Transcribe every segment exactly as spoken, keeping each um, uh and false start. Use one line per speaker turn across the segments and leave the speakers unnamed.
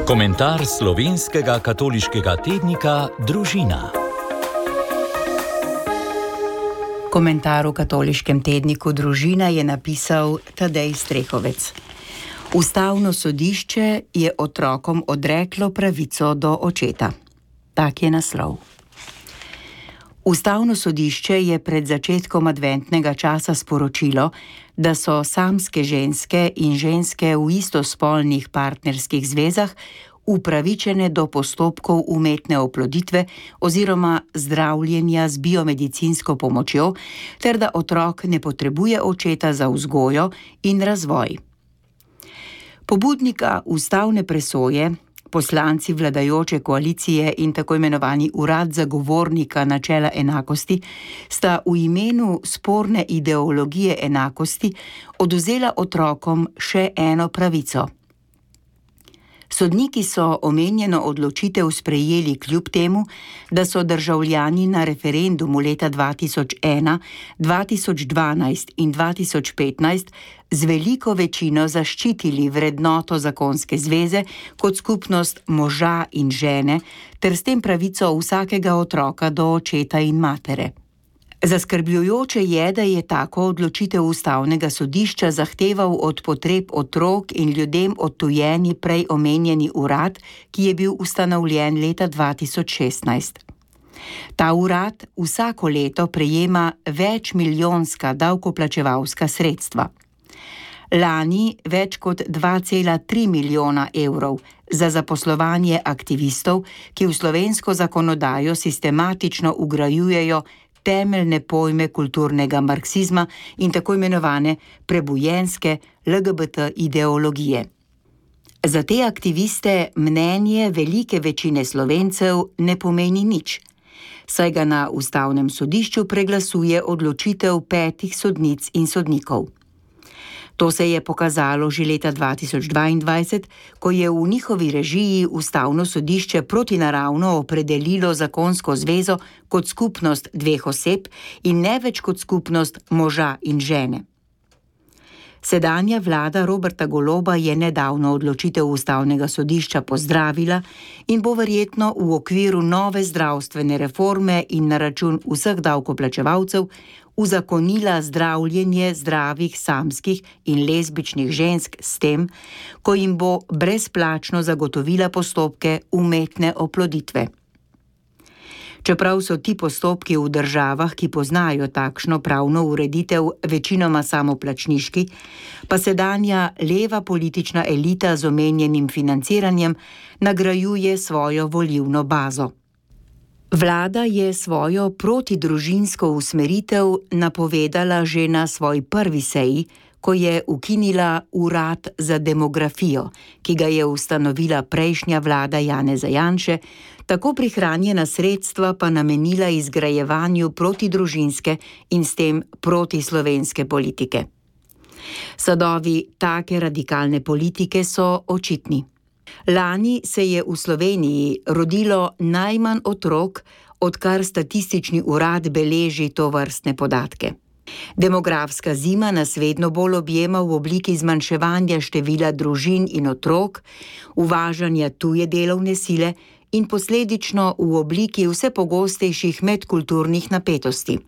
Komentar slovenskega katoliškega tednika Družina.
Komentar v katoliškem tedniku Družina je napisal Tadej Strehovec. Ustavno sodišče je otrokom odreklo pravico do očeta. Tak je naslov. Ustavno sodišče je pred začetkom adventnega časa sporočilo, da so samske ženske in ženske v istospolnih partnerskih zvezah upravičene do postopkov umetne oploditve oziroma zdravljenja z biomedicinsko pomočjo, ter da otrok ne potrebuje očeta za vzgojo in razvoj. Pobudnika ustavne presoje, poslanci vladajoče koalicije in tako imenovani urad zagovornika načela enakosti sta v imenu sporne ideologije enakosti odvzela otrokom še eno pravico. Sodniki so omenjeno odločitev sprejeli kljub temu, da so državljani na referendumu leta dva tisoč ena, dva tisoč dvanajst in dva tisoč petnajst z veliko večino zaščitili vrednoto zakonske zveze kot skupnost moža in žene ter s tem pravico vsakega otroka do očeta in matere. Zaskrbljujoče je, da je tako odločitev ustavnega sodišča zahteval od potreb otrok in ljudem odtujeni prej omenjeni urad, ki je bil ustanovljen leta dva tisoč šestnajst. Ta urad vsako leto prejema večmilijonska davkoplačevalska sredstva. Lani več kot dva cela tri milijona evrov za zaposlovanje aktivistov, ki v slovensko zakonodajo sistematično vgrajujejo temeljne pojme kulturnega marksizma in tako imenovane prebujenske L G B T ideologije. Za te aktiviste mnenje velike večine Slovencev ne pomeni nič, saj ga na ustavnem sodišču preglasuje odločitev petih sodnic in sodnikov. To se je pokazalo že leta dva tisoč dvaindvajset, ko je v njihovi režiji ustavno sodišče protinaravno opredelilo zakonsko zvezo kot skupnost dveh oseb in ne več kot skupnost moža in žene. Sedanja vlada Roberta Goloba je nedavno odločitev ustavnega sodišča pozdravila in bo verjetno v okviru nove zdravstvene reforme in na račun vseh davkoplačevalcev uzakonila zdravljenje zdravih samskih in lezbičnih žensk s tem, ko jim bo brezplačno zagotovila postopke umetne oploditve. Čeprav so ti postopki v državah, ki poznajo takšno pravno ureditev, večinoma samoplačniški, pa sedanja leva politična elita z omenjenim financiranjem nagrajuje svojo volilno bazo. Vlada je svojo protidružinsko usmeritev napovedala že na svoji prvi seji, ko je ukinila urad za demografijo, ki ga je ustanovila prejšnja vlada Janeza Janše, tako prihranjena sredstva pa namenila izgrajevanju protidružinske in s tem protislovenske politike. Sadovi take radikalne politike so očitni. Lani se je v Sloveniji rodilo najmanj otrok, odkar statistični urad beleži tovrstne podatke. Demografska zima nas vedno bolj objema v obliki zmanjševanja števila družin in otrok, uvažanja tuje delovne sile in posledično v obliki vse pogostejših medkulturnih napetosti.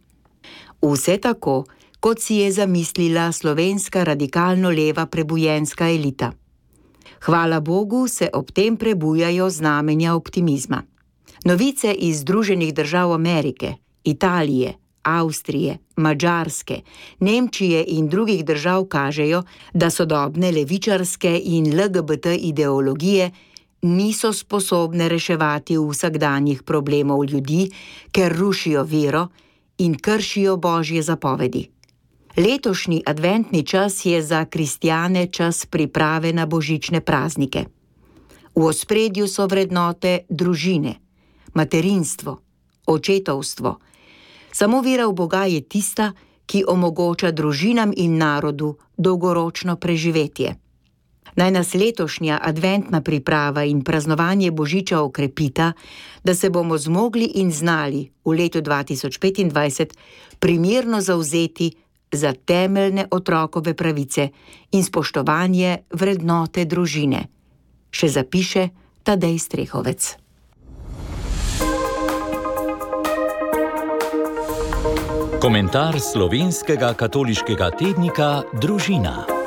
Vse tako, kot si je zamislila slovenska radikalno leva prebujenska elita. Hvala Bogu se ob tem prebujajo znamenja optimizma. Novice iz Združenih držav Amerike, Italije, Avstrije, Madžarske, Nemčije in drugih držav kažejo, da sodobne levičarske in L G B T ideologije niso sposobne reševati vsakdanjih problemov ljudi, ker rušijo vero in kršijo božje zapovedi. Letošnji adventni čas je za kristjane čas priprave na božične praznike. V ospredju so vrednote družine, materinstvo, očetovstvo. Samo vera v Boga je tista, ki omogoča družinam in narodu dolgoročno preživetje. Naj nas letošnja adventna priprava in praznovanje božiča okrepita, da se bomo zmogli in znali v letu dva tisoč petindvajset primerno zavzeti za temeljne otrokove pravice in spoštovanje vrednote družine, še zapiše Tadej Strehovec.
Komentar slovenskega katoliškega tednika Družina.